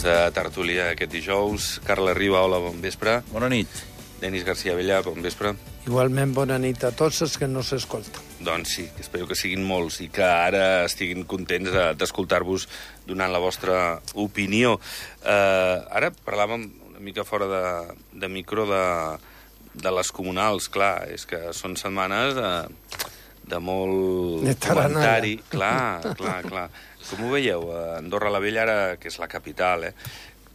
de tertúlia aquest dijous. Carles Riba, hola, bon vespre. Bona nit. Denis García Vella, bon vespre. Igualment, bona nit a tots els que no s'escolten. Doncs sí, espero que siguin molts i que ara estiguin contents d'escoltar-vos donant la vostra opinió. Ara parlàvem una mica fora de micro de les comunals. Clar, és que són setmanes de molt comentari. Clar. Com ho veieu? Andorra la Vella, ara, que és la capital,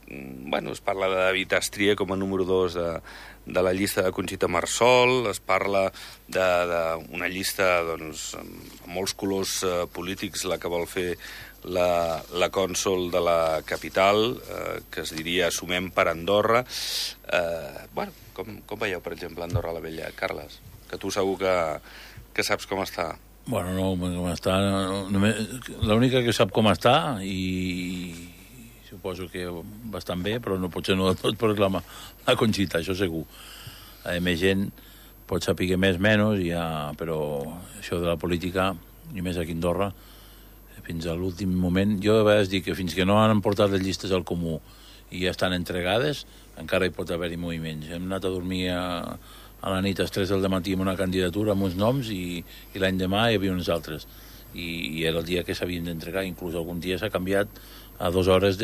bueno, es parla de David Astria com a número 2 de la llista de Conxita Marsol, es parla d'una llista doncs, amb molts colors polítics, la que vol fer la cònsol de la capital, que es diria Sumem per Andorra. Bueno, com veieu, per exemple, Andorra la Vella, Carles? Que tu segur que saps com està. Bueno, no, com està... L'única que sap com està, i suposo que bastant bé, però potser no del tot, però és la Conxita, això segur. Més gent pot saber més, menys, però això de la política, i més aquí a Andorra, fins a l'últim moment... Jo a vegades dic que fins que no han portat les llistes al comú i ja estan entregades, encara hi pot haver-hi moviments. Hem anat a dormir a la nit a les 3 del matí amb una candidatura amb uns noms i l'any demà hi havia uns altres. I era el dia que s'havien d'entregar. Inclús algun dia s'ha canviat a 2 hores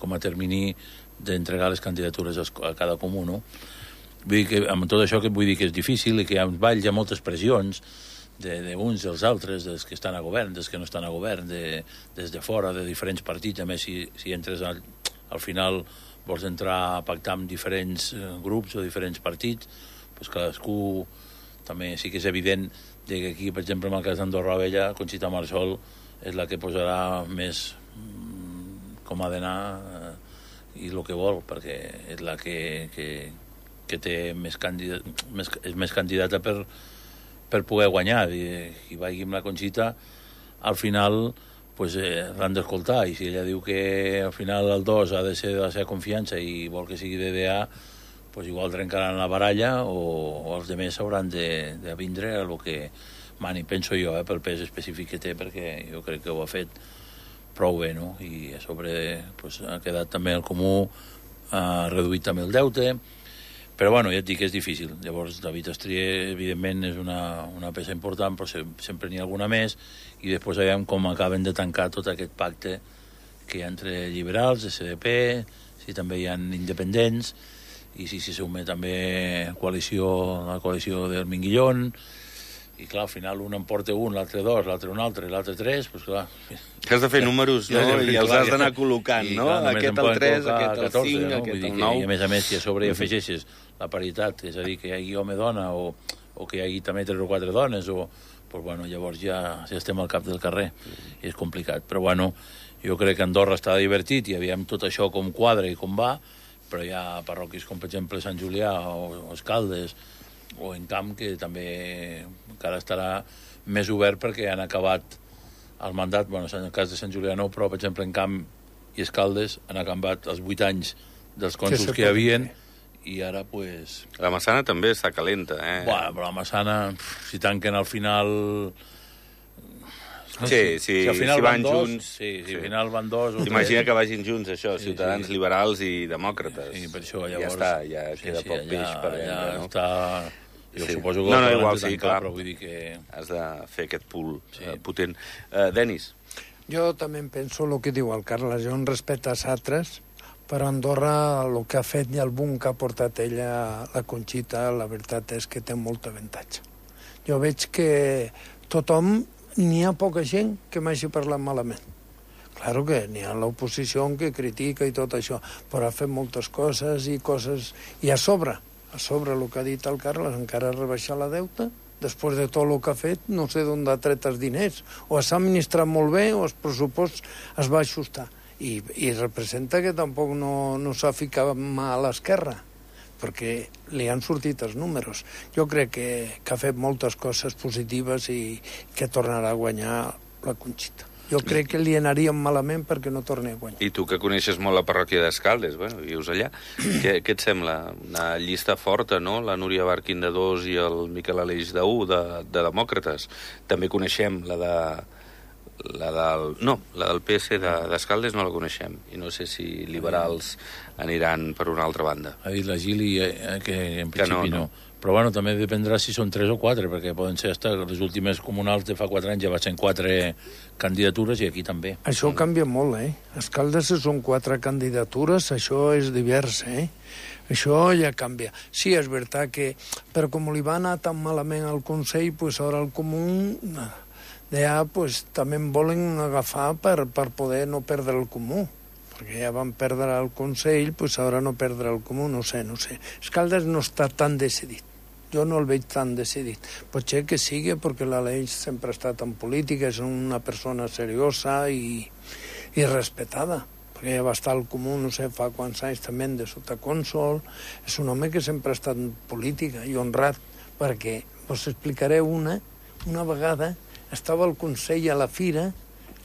com a termini d'entregar les candidatures a cada comú, no? Vull dir que amb tot això que vull dir que és difícil i que hi ha hi ha moltes pressions d'uns dels altres, dels que estan a govern, dels que no estan a govern, des de fora, de diferents partits. A més, si entres al final vols entrar a pactar amb diferents grups o diferents partits, doncs cadascú també sí que és evident que aquí, per exemple, en el cas d'Andorra la Vella, Conxita Marsol és la que posarà més com ha d'anar i el que vol, perquè és la que té és més candidata per poder guanyar. I vagi amb la Conxita, al final l'han d'escoltar, i si ella diu que al final el 2 ha de ser de la seva confiança i vol que sigui DDA, doncs igual trencaran la baralla o els altres hauran de vindre a el que mani, penso jo, pel pes específic que té, perquè jo crec que ho ha fet prou bé, no? I a sobre ha quedat també el comú, ha reduït també el deute, però bueno, ja et dic que és difícil. Llavors David Astrier evidentment és una peça important, però sempre n'hi ha alguna més, i després veiem com acaben de tancar tot aquest pacte que hi ha entre liberals, SDP, si també hi ha independents, i si sume també la coalició del Minguillón, i clar, al final un en porta un, l'altre 2, l'altre un altre, l'altre 3, doncs clar... Que has de fer números, no? I els has d'anar col·locant, no? Aquest el 3, aquest el 5, aquest el 9... I a més, si a sobre hi afegeixes la paritat, és a dir, que hi hagi home-dona o que hi hagi també 3 o 4 dones, doncs bueno, llavors ja estem al cap del carrer, i és complicat. Però bueno, jo crec que Andorra està divertit i aviam tot això com quadra i com va, però hi ha parròquies com, per exemple, Sant Julià o Escaldes, o en Camp, que també encara estarà més obert perquè han acabat el mandat. Bueno, en el cas de Sant Julià no, però, per exemple, en Camp i Escaldes han acabat els 8 anys dels cònsols que hi havien, i ara, pues... La Massana també està calenta, Bueno, però la Massana, si tanquen al final... Si van junts... Si al final van 2... T'imagina que vagin junts, això, ciutadans liberals i demòcrates. Sí, per això llavors... Ja està, ja queda poc peix per vendre, no? Està... Jo suposo que igual sí, clar, però vull dir que... Has de fer aquest pool potent. Denis? Jo també penso el que diu el Carles, jo en respecte als altres, però Andorra el que ha fet i el boom que ha portat ella, la Conxita, la veritat és que té molt avantatge. Jo veig que tothom, n'hi ha poca gent que m'hagi parlat malament. Claro que n'hi ha l'oposició que critica i tot això, però ha fet moltes coses, i a sobre el que ha dit el Carles, encara ha rebaixat la deuta, després de tot el que ha fet, no sé d'on ha tret els diners, o s'ha administrat molt bé o el pressupost es va ajustar. I representa que tampoc no s'ha ficat mà a l'esquerra, perquè li han sortit els números. Jo crec que ha fet moltes coses positives i que tornarà a guanyar la Conxita. Jo crec que li anaríem malament perquè no torni a guanyar. I tu, que coneixes molt la parròquia d'Escaldes, bueno, vius allà, què et sembla? Una llista forta, no? La Núria Barquín de 2 i el Miquel Aleix de 1, de demòcrates. També coneixem la la del PS d'Escaldes no la coneixem, i no sé si liberals aniran per una altra banda. Ha dit la Gili que en principi no. Però bueno, també dependrà si són 3 o 4, perquè poden ser hasta les últimes comunals de fa 4 anys ja va ser 4 candidatures i aquí també. Això canvia molt, Escaldes són 4 candidatures, això és divers, Això ja canvia. Sí, és veritat que, però com li va anar tan malament al Consell, pues ara el Comú ja pues, també en volen agafar per poder no perdre el Comú. Perquè ja van perdre el Consell, pues ara no perdre el Comú, no sé. Escaldes no està tan decidit. Jo no el veig tan decidit. Potser que sigui perquè l'Aleix sempre ha estat en política, és una persona seriosa i respetada, perquè ja va estar al Comú, no sé, fa quants anys també de sotacònsol. És un home que sempre ha estat en política i honrat, perquè us explicaré una vegada estava al Consell a la fira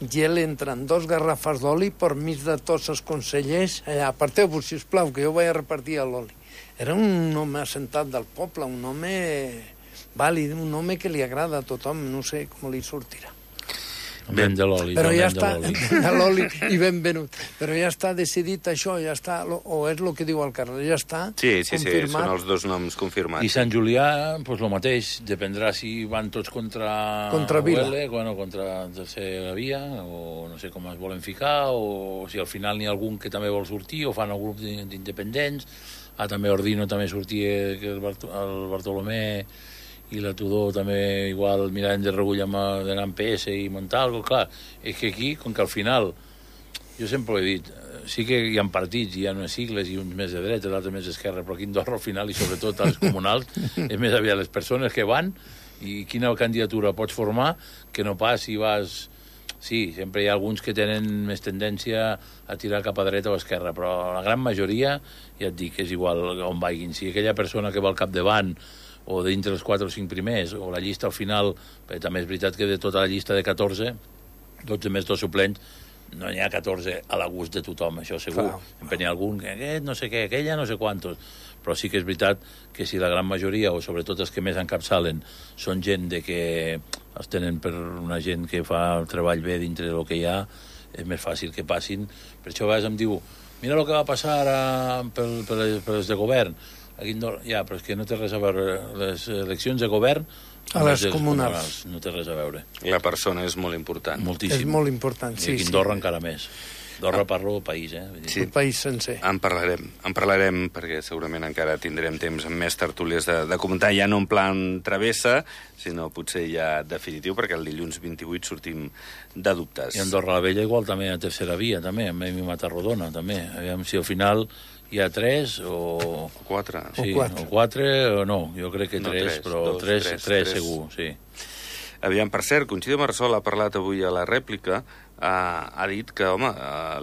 i ell entra en 2 garrafes d'oli per mig de tots els consellers. Allà, aparteu-vos, sisplau, que jo vaig a repartir l'oli. Era un home assentat del poble, un home vàlid, un home que li agrada a tothom, no sé com li sortirà. Ben de l'oli. Però ja està, l'oli i ben venut. Però ja està decidit això, ja està, o és el que diu el Carles, ja està confirmat. Sí, són els 2 noms confirmats. I Sant Julià, doncs el mateix, dependrà si van tots contra Vila. Bueno, contra Tercera Via, o no sé com es volen ficar, o si al final n'hi ha algun que també vol sortir, o fan el grup d'independents. També Ordino també sortia, que el Bartolomé i la Tudor també igual mirant de regull d'anar amb PS i Montalvo. Clar, és que aquí, com que al final, jo sempre ho he dit, sí que hi ha partits, hi ha unes sigles i uns més de dreta, l'altre més d'esquerra, però aquí a Andorra al final, i sobretot a les comunals, és més aviat les persones que van i quina candidatura pots formar que no pas si vas... Sí, sempre hi ha alguns que tenen més tendència a tirar cap a dreta o a esquerra, però la gran majoria, ja et dic, és igual on vagin. Si aquella persona que va al capdavant o dintre els 4 o 5 primers, o la llista al final, perquè també és veritat que de tota la llista de 14, 12 més 2 suplents, no n'hi ha 14 a la gust de tothom, això segur. Sempre n'hi ha algun que aquest no sé què, aquella no sé quantos. Però sí que és veritat que si la gran majoria, o sobretot els que més encapçalen, són gent de que els tenen per una gent que fa el treball bé dintre del que hi ha, és més fàcil que passin. Per això a vegades em diu, mira el que va passar ara per les de govern. Aquí ja, però és que no té res a veure. Les eleccions de govern a les comunals no té res a veure. La persona és molt important. Moltíssim. És molt important, sí. I aquí a Andorra encara més. Andorra parlo del país, Sí. El país sencer. En parlarem perquè segurament encara tindrem temps amb més tertúlies de comentar, ja no en plan travessa, sinó potser ja definitiu, perquè el dilluns 28 sortim de dubtes. I Andorra la Vella igual també a Tercera Via, també, amb Emi Matarrodona, també. Aviam si al final hi ha 3 o... 4. Sí, o 4 o no, jo crec que 3, però 3 segur, sí. Aviam, per cert, Conxita Marsol ha parlat avui a la rèplica, ha dit que, home,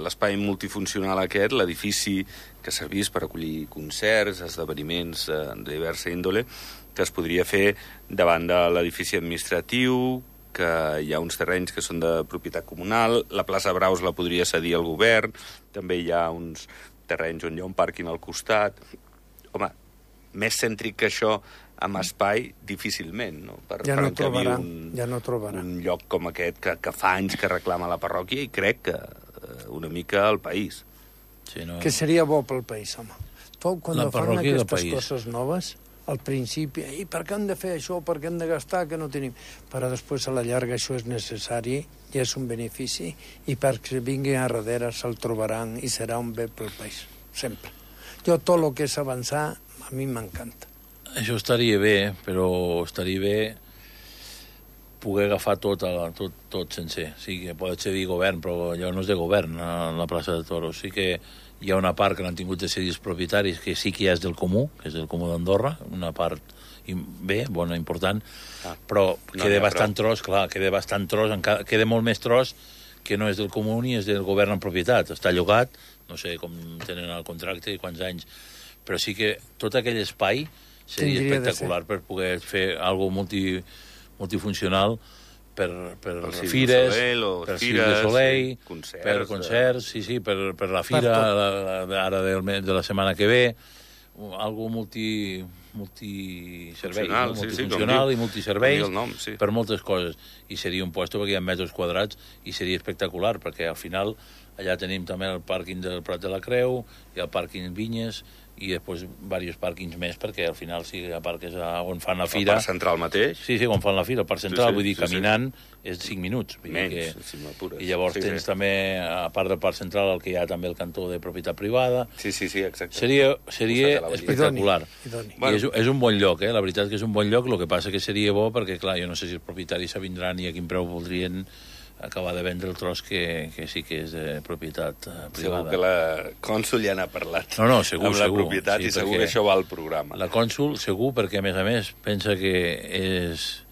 l'espai multifuncional aquest, l'edifici que servís per acollir concerts, esdeveniments de diversa índole, que es podria fer davant de l'edifici administratiu, que hi ha uns terrenys que són de propietat comunal, la plaça Braus la podria cedir al govern, també hi ha uns terrenys on hi ha un pàrquing al costat. Home, més cèntric que això amb espai, difícilment, no? Ja no trobarà un lloc com aquest que fa anys que reclama la parròquia i crec que una mica el país. Sí, no... Que seria bo pel país, home. Quan fan aquestes coses noves, al principi, i per què hem de fer això, per què hem de gastar, que no tenim... Però després, a la llarga, això és necessari i és un benefici, i perquè vinguin a darrere se'l trobaran i serà un bé pel país, sempre. Jo, tot el que és avançar, a mi m'encanta. Això estaria bé, però estaria bé poder agafar tot sencer. Sí que pot ser dir govern, però allò no és de govern, a la plaça de Toros. Sí que hi ha una part que l'han tingut de cedir els propietaris, que sí que ja és del Comú, que és del Comú d'Andorra, una part bé, bona, important, però queda bastant tros, clar, queda molt més tros que no és del Comú ni és del govern en propietat. Està llogat, no sé com tenen el contracte i quants anys, però sí que tot aquell espai seria espectacular per poder fer alguna cosa multifuncional per fires, per Cirque du Soleil, per concerts, sí, per la fira ara de la setmana que ve, algo multiserveis, Funcional, no? sí, Multifuncional i multiserveis com diu el nom, sí. per moltes coses. I seria un puesto perquè hi ha metres quadrats i seria espectacular, perquè al final allà tenim també el pàrquing del Prat de la Creu, hi ha el pàrquing Vinyes, i després diversos pàrquings més, perquè al final si aparques on fan la fira... El Parc Central mateix? Sí, on fan la fira, el Parc Central, vull dir, sí, caminant és 5 minuts. Menys, si m'apures. I llavors tens també, a part del Parc Central, el que hi ha també el cantó de propietat privada. Sí, exacte. Seria espectacular. Idoni. I és un bon lloc, la veritat que és un bon lloc, el que passa que seria bo, perquè, clar, jo no sé si els propietaris s'avindran i a quin preu voldrien acabar de vendre el tros que sí que és de propietat privada. Segur que la cònsul ja n'ha parlat. No, segur, amb la propietat, sí, i segur que això va al programa. La cònsul, segur, perquè, a més, pensa que és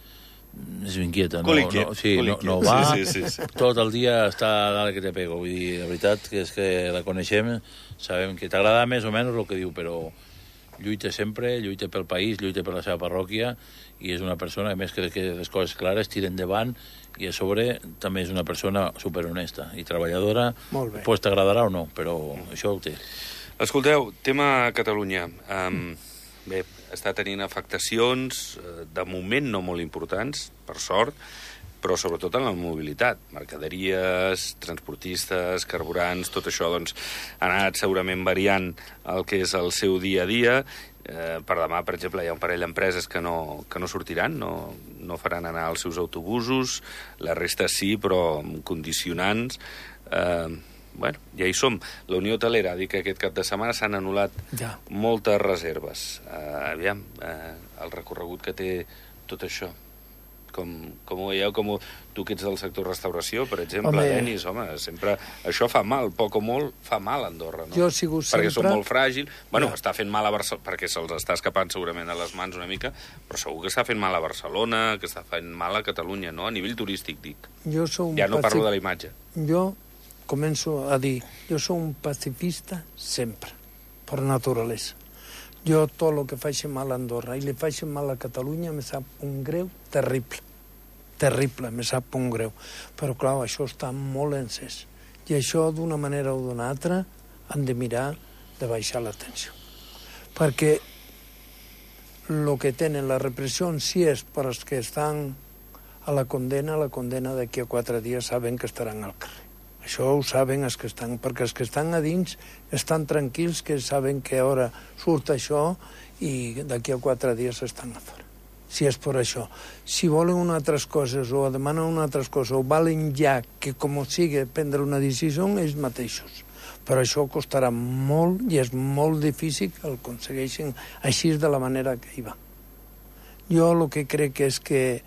inquieta. No va, sí. Tot el dia està dalt que te pego. Vull dir, la veritat que és que la coneixem, sabem que t'agrada més o menys el que diu, però lluita sempre, lluita pel país, lluita per la seva parròquia, i és una persona, a més, que les coses clares tiren endavant, i a sobre també és una persona superhonesta i treballadora. Pues t'agradarà o no, però això ho té. Escolteu, tema Catalunya. Bé, està tenint afectacions, de moment no molt importants, per sort, però sobretot en la mobilitat. Mercaderies, transportistes, carburants, tot això doncs, ha anat segurament variant el que és el seu dia a dia. Per demà, per exemple, hi ha un parell d'empreses que no sortiran, no faran anar els seus autobusos, la resta sí, però amb condicionants. Bueno, ja hi som. La Unió Hotelera ha dit que aquest cap de setmana s'han anul·lat moltes reserves. Aviam, el recorregut que té tot això. Com ho veieu, tu que ets del sector restauració, per exemple, Denis, home, sempre això fa mal, poc o molt fa mal a Andorra, no? Jo he sigut sempre... Perquè som molt fràgils. Bueno, està fent mal a Barcelona, perquè se'ls està escapant segurament a les mans una mica, però segur que està fent mal a Barcelona, que està fent mal a Catalunya, no? A nivell turístic, dic. Ja no parlo de la imatge. Jo començo a dir, jo soc un pacifista sempre, per naturalesa. Jo tot el que faci mal a Andorra i li faci mal a Catalunya me sap un greu terrible. Terrible, me sap un greu. Però, clar, això està molt encès. I això, d'una manera o d'una altra, han de mirar de baixar la tensió. Perquè el que tenen la repressió sí és per als que estan a la condena d'aquí a 4 dies saben que estaran al carrer. Això ho saben els que estan, perquè els que estan a dins estan tranquils, que saben que ara surt això i d'aquí a 4 dies estan a fora. Si és per això. Si volen unes altres coses o demanen unes altres coses o valen ja que, com sigui, prendre una decisió ells mateixos. Però això costarà molt i és molt difícil que el aconsegueixin així de la manera que hi va. Jo el que crec és que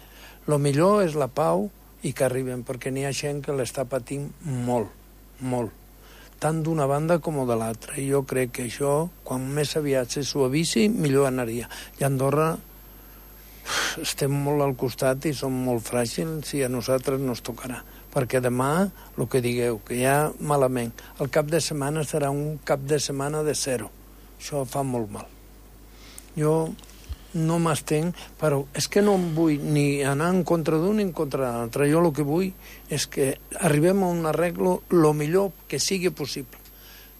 el millor és la pau i que arriben, perquè n'hi ha gent que l'està patint molt, molt, tant d'una banda com de l'altra. I jo crec que això, quan més aviat se suavisi, millor anaria. I a Andorra estem molt al costat i som molt fràgils i a nosaltres no ens tocarà. Perquè demà, el que digueu, que ja malament, el cap de setmana serà un cap de setmana de 0. Això fa molt mal. Jo no m'estenc, però és que no vull ni anar en contra d'un ni en contra de l'altre. Jo el que vull és que arribem a un arreglo el millor que sigui possible.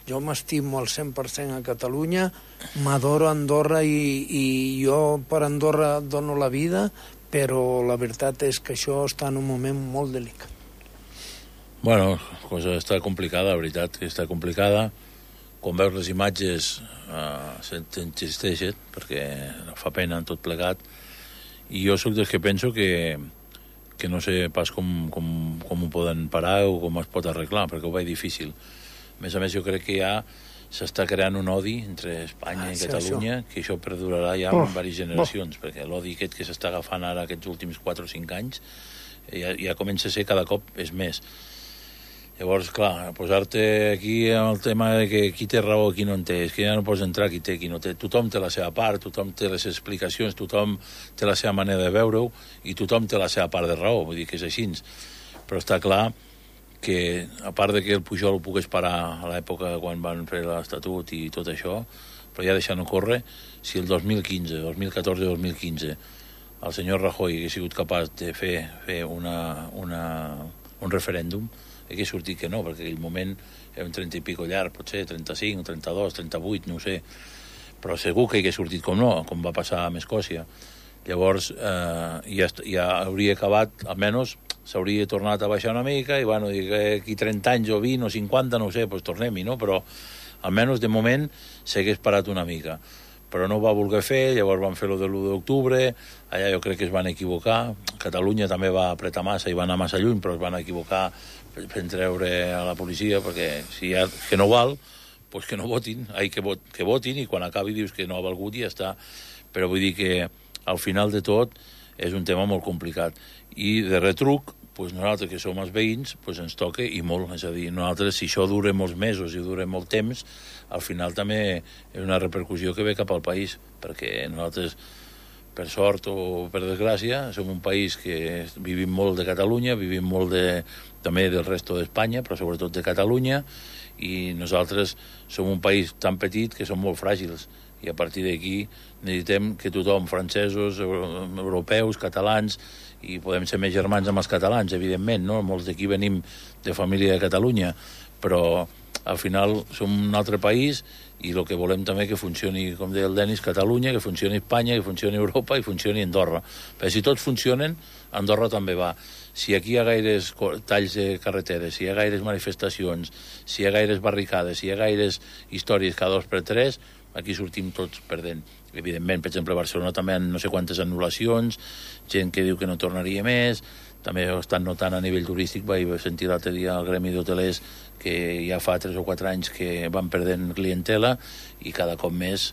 Jo m'estimo al 100% a Catalunya, m'adoro Andorra i jo per Andorra dono la vida, però la veritat és que això està en un moment molt delicat. Bueno, la cosa està complicada, la veritat que està complicada. Quan veus les imatges t'entristeixen, perquè fa pena tot plegat, i jo sóc dels que penso que no sé pas com ho poden parar o com es pot arreglar, perquè ho veig difícil. A més, jo crec que ja s'està creant un odi entre Espanya i Catalunya, que això perdurarà ja en diverses generacions, perquè l'odi aquest que s'està agafant ara aquests últims 4 o 5 anys ja comença a ser cada cop és més. Llavors, clar, posar-te aquí en el tema de que qui té raó, qui no en té, és que ja no pots entrar qui té, qui no té. Tothom té la seva part, tothom té les explicacions, tothom té la seva manera de veure-ho i tothom té la seva part de raó, vull dir que és així. Però està clar que, a part de que el Pujol ho pogués parar a l'època quan van fer l'Estatut i tot això, però ja deixant-ho córrer, si el 2015, 2014 o 2015 el senyor Rajoy hagués sigut capaç de fer un referèndum, hagués sortit que no, perquè en aquell moment era un 30 i pico llarg, potser 35, 32, 38, no ho sé. però segur que hagués sortit com no, com va passar amb Escòcia. Llavors, ja hauria acabat, almenys s'hauria tornat a baixar una mica, i bueno, aquí 30 anys o 20 o 50, no ho sé, doncs tornem-hi, no? Però almenys de moment s'hagués parat una mica. Però no ho va voler fer, llavors van fer-lo de l'1 d'octubre, allà jo crec que es van equivocar, Catalunya també va apretar massa i va anar massa lluny, però es van equivocar fent treure a la policia, perquè si ja que no val, doncs que no votin, que votin, i quan acabi dius que no ha valgut i ja està. Però vull dir que al final de tot és un tema molt complicat. I de retruc, doncs nosaltres que som els veïns, doncs ens toca i molt. És a dir, nosaltres, si això dura molts mesos i dura molt temps, al final també és una repercussió que ve cap al país, perquè nosaltres, per sort o per desgràcia, som un país que vivim molt de Catalunya, vivim molt també del resto d'Espanya, però sobretot de Catalunya, i nosaltres som un país tan petit que som molt fràgils, i a partir d'aquí necessitem que tothom, francesos, europeus, catalans, i podem ser més germans amb els catalans, evidentment, no? Molts d'aquí venim de família de Catalunya, però al final som un altre país, i el que volem també que funcioni, com deia el Denis, Catalunya, que funcioni Espanya, que funcioni Europa i funcioni Andorra. Perquè si tots funcionen, Andorra també va. Si aquí hi ha gaires talls de carreteres, si hi ha gaires manifestacions, si hi ha gaires barricades, si hi ha gaires històries cada 2 per 3, aquí sortim tots perdent. Evidentment, per exemple, a Barcelona també hi ha no sé quantes anul·lacions, gent que diu que no tornaria més, també ho estan notant a nivell turístic. Vaig sentir l'altre dia al gremi d'hotelers que ja fa 3 o 4 anys que van perdent clientela, i cada cop més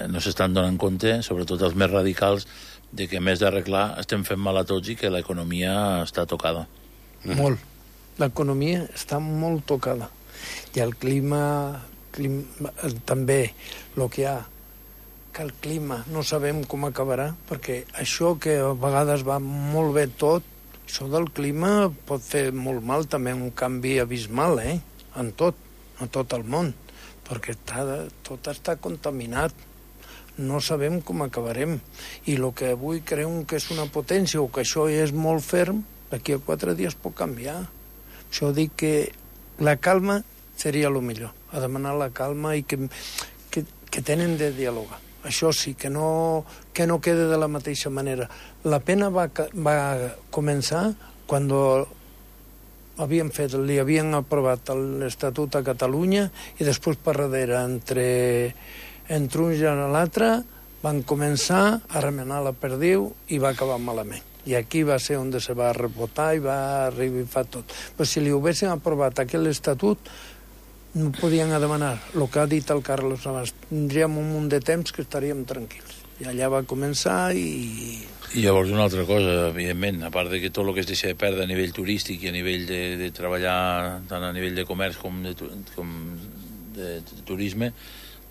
no s'estan donant compte, sobretot els més radicals, de que a més d'arreglar estem fent mal a tots i que l'economia està tocada. Molt. L'economia està molt tocada. I el clima també, el que hi ha, que el clima no sabem com acabarà, perquè això que a vegades va molt bé tot, això del clima pot fer molt mal també, un canvi abismal, en tot el món, perquè tot està contaminat. No sabem com acabarem. I el que avui creiem que és una potència o que això és molt ferm, d'aquí a 4 dies pot canviar. Això dic que la calma seria el millor, a demanar la calma i que tenen de dialogar. Això sí, que no quede de la mateixa manera. La pena va començar quan li havien aprovat l'Estatut a Catalunya, i després per darrere, entre un i l'altre, van començar a remenar la perdiu i va acabar malament. I aquí va ser on se va rebotar i va arribar tot. Però si li haguessin aprovat aquell estatut, no podien demanar. El que ha dit el Carlos abans, tindríem un munt de temps que estaríem tranquils. I allà va començar i... I llavors una altra cosa, evidentment, a part de que tot el que es deixa de perdre a nivell turístic i a nivell de treballar tant a nivell de comerç com de turisme,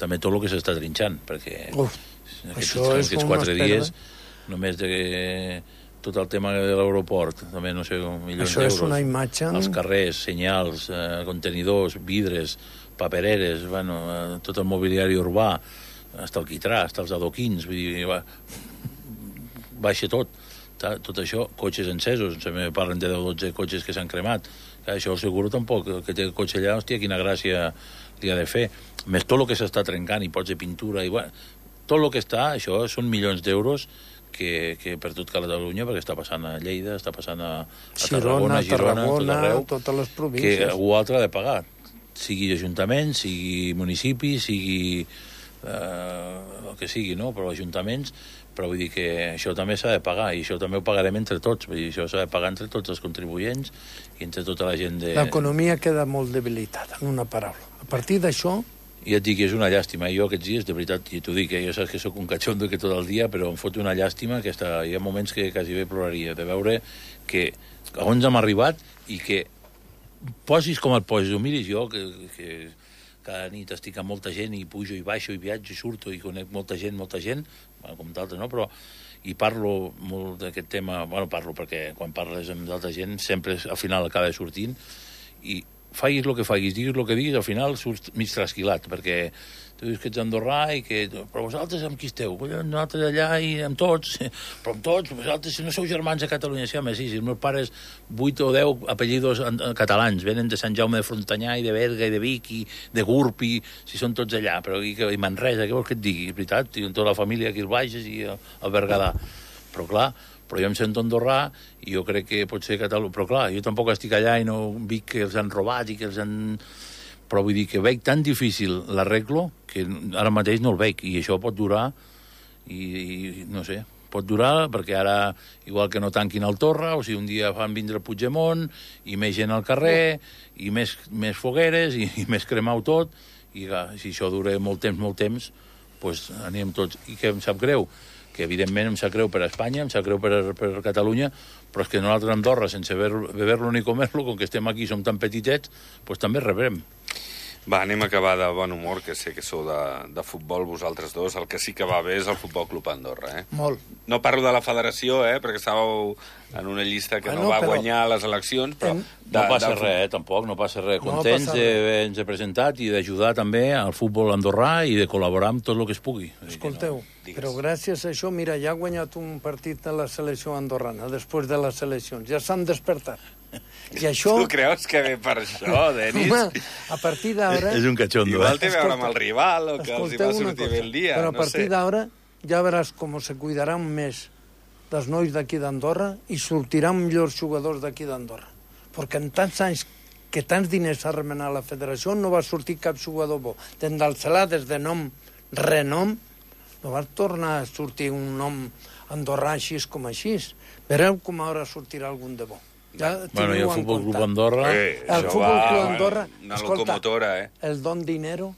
també tot el que s'està trinxant, perquè aquests 4 dies, només de tot el tema de l'aeroport, també no sé, milions d'euros. Això és una imatge... Els carrers, senyals, contenidors, vidres, papereres, tot el mobiliari urbà, hasta el quitrà, hasta els adoquins, vull dir, baixa tot. Tot això, cotxes encesos, me parlen de 10 o 12 cotxes que s'han cremat. Això seguro tampoc, el que té el cotxe allà, hòstia, quina gràcia li ha de fer. Més tot el que s'està trencant, i pots de pintura, i tot el que està, això són milions d'euros que per tot Catalunya, perquè està passant a Lleida, està passant a Tarragona, Girona, tot arreu, totes les províncies. Que algú altre ha de pagar, sigui ajuntament, sigui municipi, sigui el que sigui, no? Però ajuntaments, però vull dir que això també s'ha de pagar, i això també ho pagarem entre tots, vull dir, això s'ha de pagar entre tots els contribuents i entre tota la gent de... L'economia queda molt debilitada, en una paraula. A partir d'això... I et dic que és una llàstima. Jo aquests dies, de veritat, i t'ho dic, jo saps que sóc un catxondo que tot el dia, però em fot una llàstima que hi ha moments que quasi bé ploraria, de veure que on hem arribat i que posis com et posis, ho miris jo, que cada nit estic amb molta gent i pujo i baixo i viatjo i surto i conec molta gent, com d'altres, no? Però i parlo molt d'aquest tema, parlo perquè quan parles amb d'altra gent sempre al final acaba sortint, i facis el que facis, diguis el que diguis, al final surts mig trasquilat, perquè tu dius que ets andorrà i que... Però vosaltres amb qui esteu? Nosaltres allà i amb tots. Però amb tots, vosaltres si no sou germans a Catalunya. Sí, home, sí, si els meus pares 8 o 10 apellidos catalans, venen de Sant Jaume de Frontanyà i de Berga i de Vic i de Gurb, i si són tots allà. Però i Manresa, què vols que et digui? És veritat, tinc tota la família aquí al Bages i al Berguedà. Però clar, però jo em sento andorrà i jo crec que pot ser Catalunya. Però clar, jo tampoc estic allà i no dic que els han robat i que els han... Però vull dir que veig tan difícil l'arreglo que ara mateix no el veig, i això pot durar, i no sé, pot durar perquè ara, igual que no tanquin el Torra, o sigui, un dia fan vindre el Puigdemont, i més gent al carrer, i més fogueres, i més cremau tot, i si això dura molt temps, doncs anem tots. I que em sap greu, que evidentment em sap greu per a Espanya, em sap greu per Catalunya, però és que nosaltres a Andorra, sense beber-lo ni comer-lo, com que estem aquí, som tan petitets, doncs també rebrem. Va, anem a acabar de bon humor, que sé que sou de futbol vosaltres dos. El que sí que va bé és el Futbol Club Andorra, eh? Molt. No parlo de la federació, perquè estàveu en una llista que no va guanyar les eleccions, però... No passa res, tampoc, no passa res. Contents d'haver-nos presentat i d'ajudar també al futbol andorrà i de col·laborar amb tot el que es pugui. Escolteu, però gràcies a això, mira, ja ha guanyat un partit de la selecció andorrana, després de les eleccions. Ja s'han despertat. I això... Tu creus que ve per això, Denis? Home, a partir d'ara... És un cachondo, Igual té a veure amb el rival, o que els hi va sortir bé el dia, però a no sé. partir d'ara ja veràs com se cuidaran més dels nois d'aquí d'Andorra i sortiran millors jugadors d'aquí d'Andorra. Perquè en tants anys que tants diners ha remenat la federació no va sortir cap jugador bo. Des del Celà, des de renom, no va tornar a sortir un nom andorrà així com així. Vereu com ara sortirà algun de bo. Ja bueno, i el Futbol Club Andorra... El Futbol Club Andorra... Una locomotora, El don dinero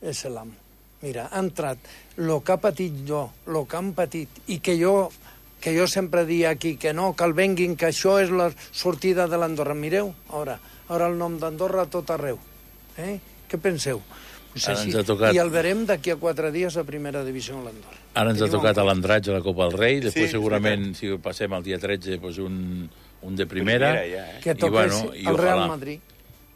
és l'amo. Mira, ha entrat el que ha patit jo, el que han patit, i que jo sempre dia aquí que no, que el venguin, que això és la sortida de l'Andorra. Mireu, ara el nom d'Andorra a tot arreu. Què penseu? Pues així. I el verem d'aquí a 4 dies a primera divisió a l'Andorra. Ara ens ha tocat a l'Andratx a la Copa del Rei, després segurament, si passem el dia 13, doncs un de primera. Que toqués el Real Madrid.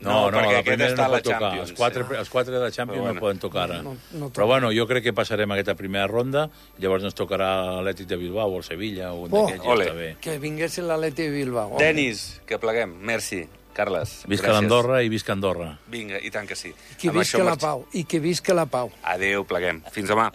No, perquè la primera està no la pot tocar. Champions. Els 4 de la Champions no poden tocar ara. No però bueno, jo crec que passarem aquesta primera ronda, llavors ens tocarà l'Atlètic de Bilbao o el Sevilla o un d'aquests, ja està bé. Que vingués l'Atlètic de Bilbao. Denis, que pleguem. Merci. Carles, visca l'Andorra i visca Andorra. Vinga, i tant que sí. I que visca la pau. Adéu, pleguem. Fins demà.